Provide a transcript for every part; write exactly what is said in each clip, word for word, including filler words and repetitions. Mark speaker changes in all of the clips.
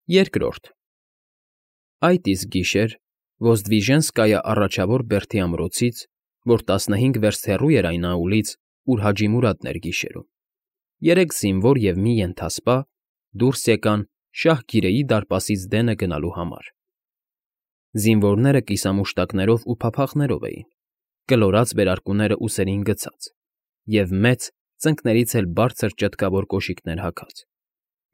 Speaker 1: Երկրորդ Այդ իսկ գիշեր Ոզդվիժենսկայա առաջավոր բերդի ամրոցից, որ տասնհինգ վերստ հեռու էր այն այուլից, ուր Հաջի Մուրադն էր գիշերում, երեք զինվոր և մի ենթասպա դուրս եկան շահ Գիրեի դարպասից դենը գնալու համար. զինվորները կիսամուշտակներով ու փափախներով էին, կլորած վերարկուները ուսերին գցած և մեծ, ծնկներից էլ բարձր ճտկավոր կոշիկներ հագած,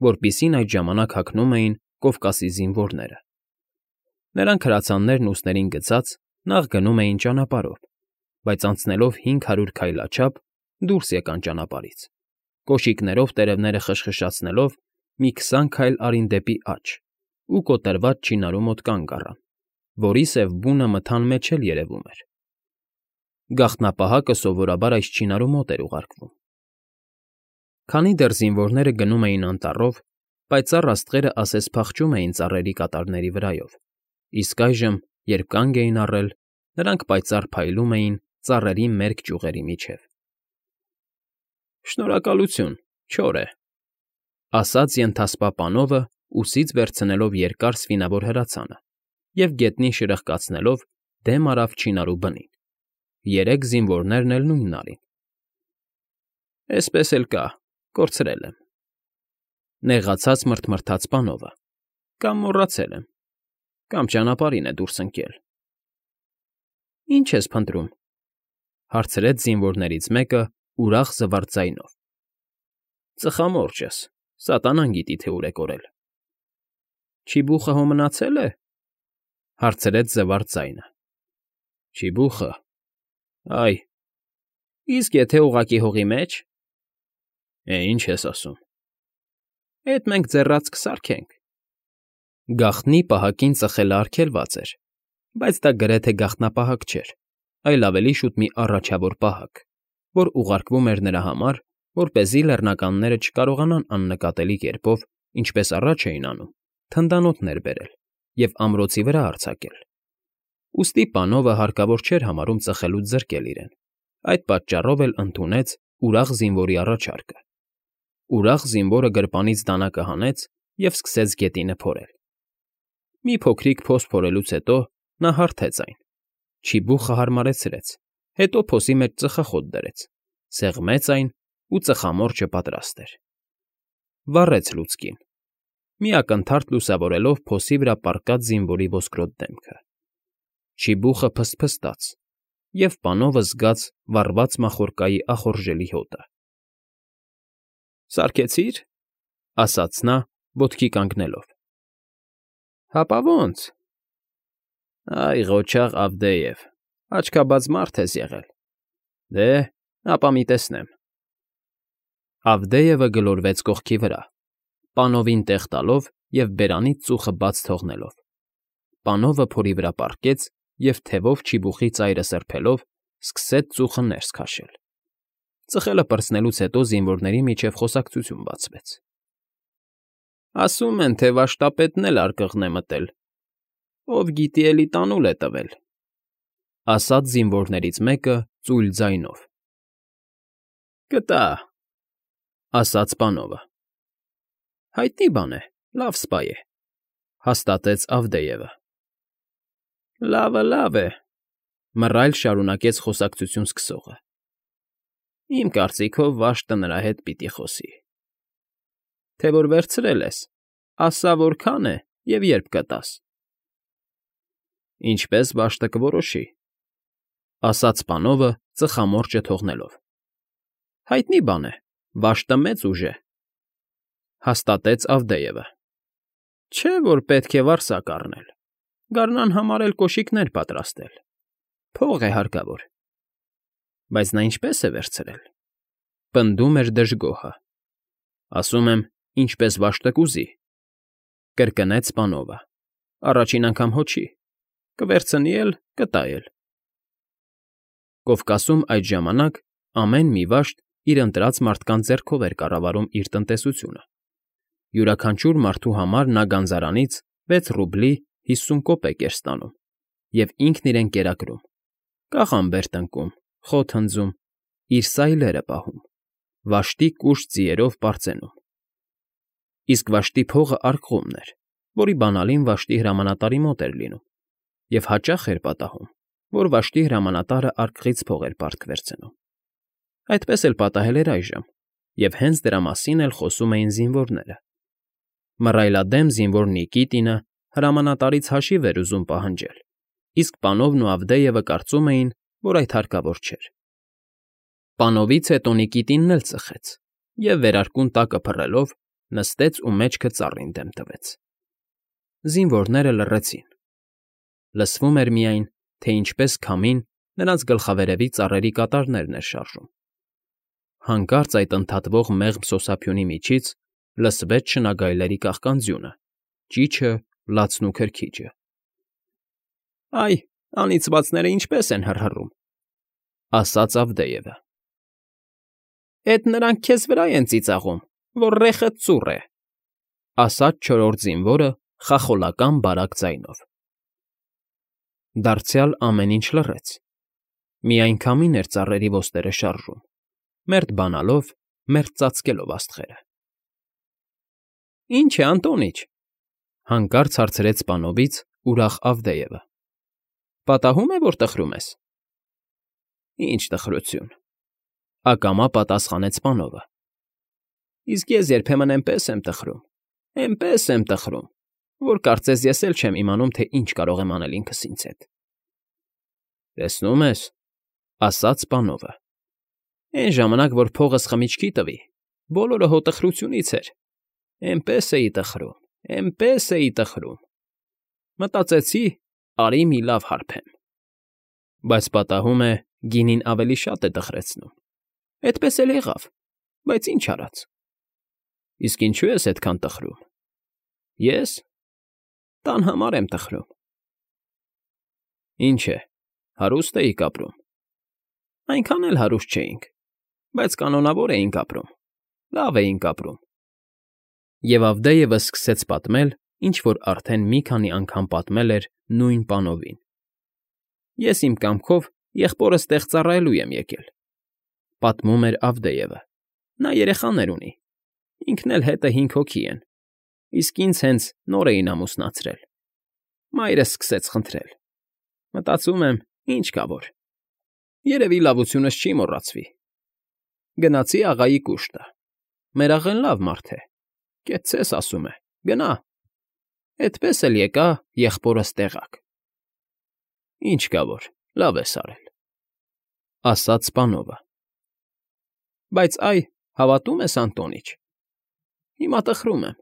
Speaker 1: որպիսին այդ ժամանակ հագնում էին Կովկասի զինվորները. նրանք հրացաններն ուսերին գցած նախ գնում էին ճանապարհով, բայց անցնելով հինգ հարյուր քայլաչափ դուրս եկան ճանապարհից, կոշիկներով տերևները խշխշացնելով մի քսան քայլ արին դեպի աջ ու կոտրված չինարու մոտ կանգ առան, որի սև բունը մթան մեջ էլ երևում էր. գաղտնապահակը սովորաբար այս չինարու մոտ էր ուղարկվում։ Քանի դեռ զինվորները գնում էին անտառով, պայծառ աստղերը ասես փախչում էին ծառերի կատարների վրայով, իսկ այժմ, երբ կանգ էին առել, նրանք պայծառ փայլում էին ծառերի մերկ ճյուղերի միջև։ Շնորհակալություն, չոր է,֊ ասաց ենթասպա պանովը, ուսից վերցնելով երկար սվինավոր հրացանը և գետնին շրխկացնելով դեմ արավ չինարու բնին. երեք զինվորներն էլ նույնն արին։ Էսպես էլ կա, կորցրել եմ,֊ նեղացած մռթմռթաց պանովը,֊ կամ մոռացել եմ, կամ ճանապարհին է դուրս ընկել։ Ի՞նչ ես փնտրում,֊ հարցրեց զինվորներից մեկը ուրախ զվարթ ձայնով։ Ծխամորճս, սատանան գիտի, թե ուր է կորել։ Չիբուխը հո մնացե՞լ է,֊ հարցրեց զվարթ ձայնը։ Չիբուխը… Այ, իսկ եթե ուղղակի հողի մեջ… Է, ինչ ես ասում… Էդ մենք ձեռած կսարքենք… Գաղտնի պահակին ծխելը արգելված էր, բայց դա գրեթե գաղտնապահակ չէր, այլ ավելի շուտ մի առաջավոր պահակ, որ ուղարկվում էր նրա համար, որպեսզի լեռնականները չկարողանան աննկատելի կերպով, ինչպես առաջ էին անում, թնդանոթներ բերել և ամրոցի վրա արձակել։ Ուստի պանովը հարկավոր չէր համարում ծխելուց զրկել իրեն, այդ պատճառով էլ ընդունեց ուրախ զինվորի առաջարկը։ Ուրախ զինվորը գրպանից դանակը հանեց և սկսեց գետինը փորել։ Մի փոքրիկ փոս փորելուց հետո նա հարթեց այն, չիբուխը հարմարեցրեց, հետո փոսի մեջ ծխախոտ դրեց, սեղմեց այն ու ծխամորճը պատրաստ էր։ Վառեց լուցկին, մի ակնթարթ լուսավորելով փոսի վրա պառկած զինվորի ոսկրոտ դեմքը։ Չիբուխը փսփստաց, և պանովը զգաց վառված մախորկայի ախորժելի հոտը։ Սարքեցի՞ր,֊ ասաց նա, ոտքի կանգնելով։ Հապա ո՜նց… Այ ղոչաղ Ավդեև, աչքաբաց մարդ ես եղել… Դե, ապա մի տեսնեմ… Ավդեևը գլորվեց կողքի վրա, պանովին տեղ տալով և բերանից ծուխը բաց թողնելով։ Պանովը փորի վրա պառկեց և թևով չիբուխի ծայրը սրբելով սկսեց ծուխը ներս քաշել։ Ծխելը պրծնելուց հետո զինվորների միջև խոսակցություն բացվեց։ Ասում են, թե վաշտապետն էլ արկղն է մտել, ով գիտի էլի տանուլ է տվել,֊ ասաց զինվորներից մեկը ծույլ ձայնով։ Կտա,֊ ասաց պանովը։ Հայտնի բան է, լավ սպա է,֊ հաստատեց Ավդեևը։ Լավը լավ է,֊ մռայլ շարունակեց խոսակցություն սկսողը։ Իմ կարծիքով վաշտը նրա հետ պիտի խոսի։ Թե որ վերցրել ես, ասա՝ որքան է և երբ կտաս։ Ինչպես վաշտը կորոշի,֊ ասաց պանովը ծխամորճը թողնելով։ Հայտնի բան է, վաշտը մեծ ուժ է,֊ հաստատեց Ավդեևը։ Չէ՞ որ պետք է վարձակ առնել, գարնան համար էլ կոշիկներ պատրաստել, փող է հարկավոր։ Բայց նա ինչպե՞ս է վերցրել,֊ պնդում էր դժգոհը։ Ասում եմ, ինչպես վաշտը կուզի,֊ կրկնեց պանովը։ Առաջին անգամ հո չի, կվերցնի էլ կտա էլ։ Կովկասում այդ ժամանակ ամեն մի վաշտ իր ընտրած մարդկանց ձեռքով էր կառավարում իր տնտեսությունը։ Յուրաքանչյուր մարդու համար նա գանձարանից վեց ռուբլի հիսուն կոպեկ էր ստանում և ինքն իրեն կերակրում, կաղամբ էր տնկում, խոտ հնձում, իր սայլերը պահում, վաշտի կուշտ ձիերով պարծենում։ Իսկ վաշտի փողը արկղումն էր, որի բանալին վաշտի հրամանատարի մոտ էր լինում, և հաճախ էր պատահում, որ վաշտի հրամանատարը արկղից փող էր պարտք վերցնում։ Այդպես էլ պատահել էր այժմ, և հենց դրա մասին էլ խոսում էին զինվորները։ Մռայլադեմ զինվոր Նիկիտինը հրամանատարից հաշիվ էր ուզում պահանջել, իսկ պանովն ու Ավդեևը կարծում էին, որ այդ հարկավոր չէր։ Պանովից հետո Նիկիտինն էլ ծխեց և, վերարկուն տակը փռելով, նստեց ու մեջքը ծառին դեմ տվեց։ Զինվորները լռեցին։ Լսվում էր միայն, թե ինչպես քամին նրանց գլխավերևի ծառերի կատարներն էր շարժում։ Հանկարծ այդ ընդհատվող մեղմ սոսափյունի միջից լսվեց շնագայլերի կաղկանձյունը, ճիչը, լացն ու քրքիջը։ «Այ, անիծվածները ինչպես են հռհռում,֊ ասաց Ավդեևը։ Էդ նրանք քեզ վրա են ծիծաղում, որ ռեխդ ծուռ է,֊ ասաց չորրորդ զինվորը խախոլական բարակ ձայնով։ Դարձյալ ամեն ինչ լռեց։ Միայն քամին էր ծառերի ոստերը շարժում, մերթ բանալով, մերթ ծածկելով աստղերը։ «Ի՞նչ է, Անդոնիչ,֊ հանկարծ հարցրեց պանովից ուրախ Ավդեևը։ Պատահում է, որ տխրում ես։ «Ինչ տխրություն,֊ ակամա պատասխանեց պանովը։ Իսկ ես երբեմն էնպես եմ տխրում, էնպես եմ տխրում, որ կարծես ես էլ չեմ իմանում, թե ինչ կարող եմ անել ինքս ինձ հետ»։ «Տեսնում ես,֊ ասաց պանովը,֊ էն ժամանակ, որ փողս խմիչքի տվի, բոլորը հո տխրությունից էր, էնպես էի տխրում, էնպես էի տխրում… Մտածեցի՝ արի մի լավ հարբեմ։ Բայց պատահում է, գինին ավելի շատ է տխրեցնում։ Էդպես էլ եղավ, բայց ինչ արած։ Իսկ ինչո՞ւ ես այդքան տխրում։ Ես… տան համար եմ տխրում։ Ինչ է, հարուստ էիք ապրում։ Այնքան էլ հարուստ չէինք, բայց կանոնավոր էինք ապրում, լավ էինք ապրում։ Եվ Ավդեևը սկսեց պատմել, ինչ որ արդեն մի քանի անգամ պատմել էր նույն պանովին։ Ես իմ կամքով եղբորս տեղ ծառայելու եմ եկել,֊ պատմում էր Ավդեևը։ Նա երեխաներ ունի, ինքն էլ հետը հինգ հոգի են, իսկ ինձ հենց նոր էին ամուսնացրել։ Մայրս սկսեց խնդրել։ Մտածում եմ, ինչ կա որ… Երևի լավությունս չի մոռացվի։ Գնացի աղայի կուշտը։ Մեր աղեն լավ մարդ է, կեցցես, ասում է, գնա։ Էդպես էլ եկա եղբորս տեղաք։ Ինչ կա որ, լավ ես արել,֊ ասաց պանովը։ Բայց այ, հավատո՞ւմ ես, Անդոնիչ, հիմա տխրում եմ,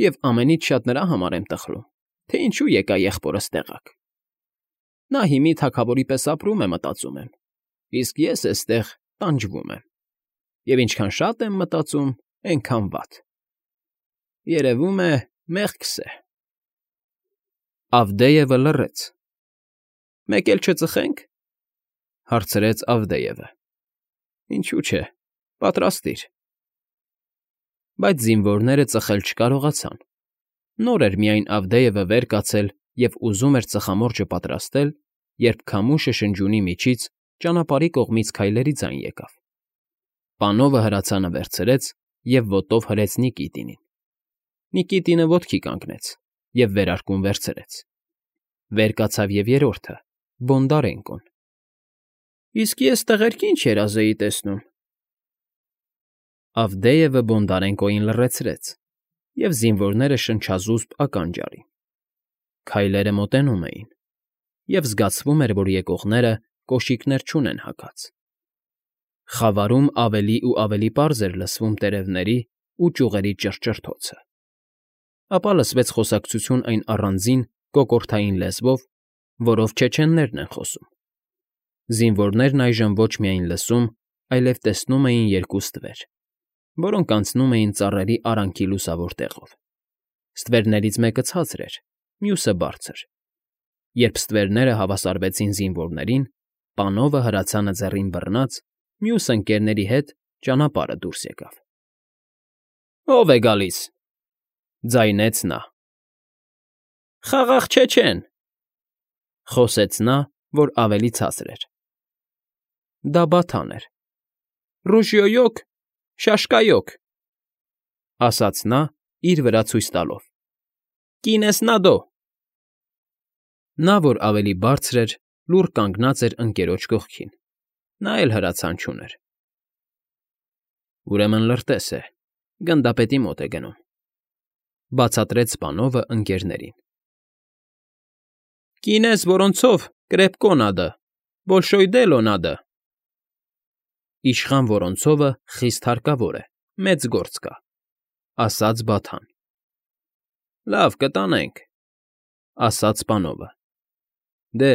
Speaker 1: և ամենից շատ նրա համար եմ տխրում, թե ինչու եկա եղբորս տեղաք։ Նա հիմի թագավորի պես ապրում է, մտածում եմ, իսկ ես էստեղ տանջվում եմ, և ինչքան շատ եմ մտածում, էնքան վատ… Երևում է, մեղքս է… Ավդեևը լռեց։ Մեկ էլ չծխե՞նք,֊ հարցրեց Ավդեևը։ Ինչու՞ չէ, պատրաստիր։ Բայց զինվորները ծխել չկարողացան։ Նոր էր միայն Ավդեևը վեր կացել և ուզում էր ծխամորճը պատրաստել, երբ քամուշը շնջյունի միջից ճանապարհի կողմից քայլերի ձայն եկավ։ Պանովը հրացանը վերցրեց և ոտով հրեց Նիկիտինին։ Նիկիտինը ոտքի կանգնեց և վերարկուն վերցրեց։ Վեր կացավ և երրորդը՝ Բոնդարենկոն։ Իսկ ես տղերք ինչ երազ էի տեսնում։ Ավդեևը Բոնդարենկոյին լռեցրեց, և զինվորները շնչազուսպ ականջ արին։ Քայլերը մոտենում էին, և զգացվում էր, որ եկողները կոշիկներ չունեն հագած։ Խավարում ավելի ու ավելի պարզ էր լսվում տերևների ու ճյուղերի ճռճռթոցը։ Ապա լսվեց խոսակցություն այն առանձին կոկորդային լեզվով, որով չեչեններն են խոսում։ Զինվորներն այժմ ոչ միայն լսում, այլև տեսնում էին երկու ստվեր, որոնք անցնում էին ծառերի արանքի լուսավոր տեղով։ Ստվերներից մեկը ցածր էր, մյուսը բարձր։ Երբ ստվերները հավասարվեցին զինվորներին, պանովը հրացանը ձեռին բռնած, մյուս ընկերների հետ ճանապարհը դուրս եկավ։ Ո՞վ է գալիս,֊ ձայնեց նա։ Խաղաղ չեչեն,֊ խոսեց նա, որ ավելի ցածր էր։ Դա Բաթան էր։ Ռուժյոյոկ, շաշկայոկ,֊ ասաց նա, իր վրա ցույց տալով։ Կինես Նադո։ Նա, որ ավելի բարձր էր, լուռ կանգնած էր ընկերոջ կողքին, նա էլ հրացան չուներ։ Ուրեմն լրտես է, գնդապետի մոտ է գնում,֊ բացատրեց սպանովը ընկերներին։ Կինես որոնցով կրեպկո նադը, բոլշոյդելո նադը։ Իշխան Որոնցովը խիստ հարկավոր է, մեծ գործ կա,֊ ասաց Բաթան։ Լավ, կտանենք,֊ ասաց սպանովը։ Դե,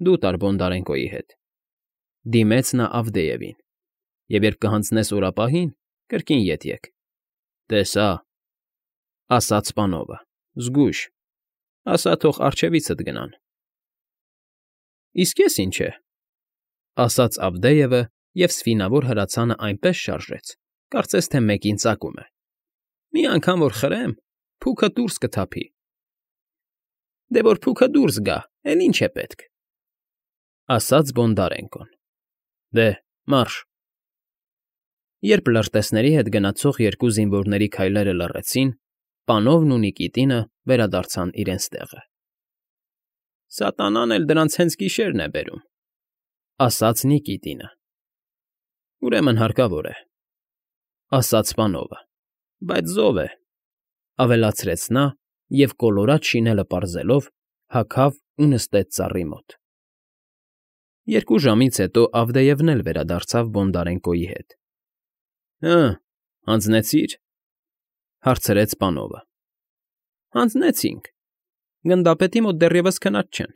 Speaker 1: դու տար Բոնդարենկոյի հետ,֊ դիմեց նա Ավդեևին,֊ և երբ կհանձնես օրապահին, կրկին ետ եկ։ Տեսա,֊ ասաց սպանովը,֊ զգույշ, ասա թող առջևիցդ գնան։ Իսկ ես ինչ է,֊ ասաց Ավդեևը և սվինավոր հրացանը այնպես շարժեց, կարծես թե մեկին ծակում է։ Մի անգամ որ խրեմ, փուքը դուրս կթափի։ Դե որ փուքը դուրս գա, էլ ինչ է պետք,֊ ասաց Բոնդարենկոն։ Դե, մարշ։ Երբ լրտեսների հետ գնացող երկու զինվորների քայլերը լռեցին, պանովն ու Նիկիտինը վերադարձան իրենց տեղը։ Սատանան էլ դրանց հենց գիշերն է բերում,֊ ասաց Նիկիտինը։ Ուրեմն հարկավոր է,֊ ասաց սպանովը,֊ բայց զով է,֊ ավելացրեց նա և կոլորած շինելը պարզելով հագավ ու նստեց ծառի մոտ։ Երկու ժամից հետո Ավդեևն էլ վերադարձավ Բոնդարենկոյի հետ։ Հը, հանձնեցի՞ր,֊ հարցրեց սպանովը։ Հանձնեցինք, գնդապետի մոտ դեռևս քնած չեն,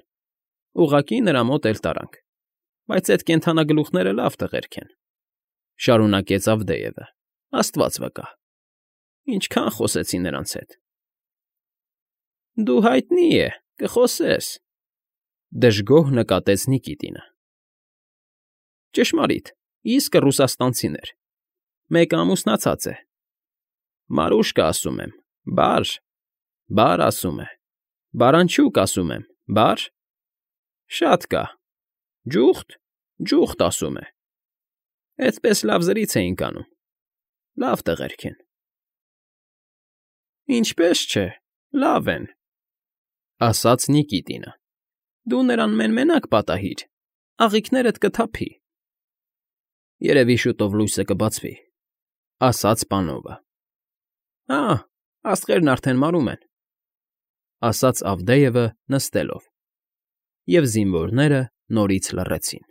Speaker 1: ուղղակի նրա մոտ էլ տարանք, բայց էդ կենդանագլուխները լավ տղերք են,֊ շարունակեց Ավդեևը,֊ աստված վկա, ինչքան խոսեցի նրանց հետ։ Դու հայտնի է, կխոսես,֊ դժգոհ նկատեց Նիկիտինը։ Ճշմարիտ, իսկը ռուսաստանցիներ, մեկը ամուսնացած է։ Մարուշկա ասում եմ, բար, բար ասում է, Բարանչուկ ասում եմ, բար, շատ կա, ջուխտ, ջուխտ ասում է։ Էդպես լավ զրից էինք անում, լավ տղերք են։ Ինչպես չէ, լավ են,֊ ասաց Նիկիտինը։ Դու նրան մեն֊մենակ պատահիր, աղիքներդ կթափի։ Երևի շուտով լույսը կբացվի,֊ ասաց պանովը։ Հա, աստղերն արդեն մարում են,֊ ասաց Ավդեևը նստելով, և զինվորները նորից լռեցին։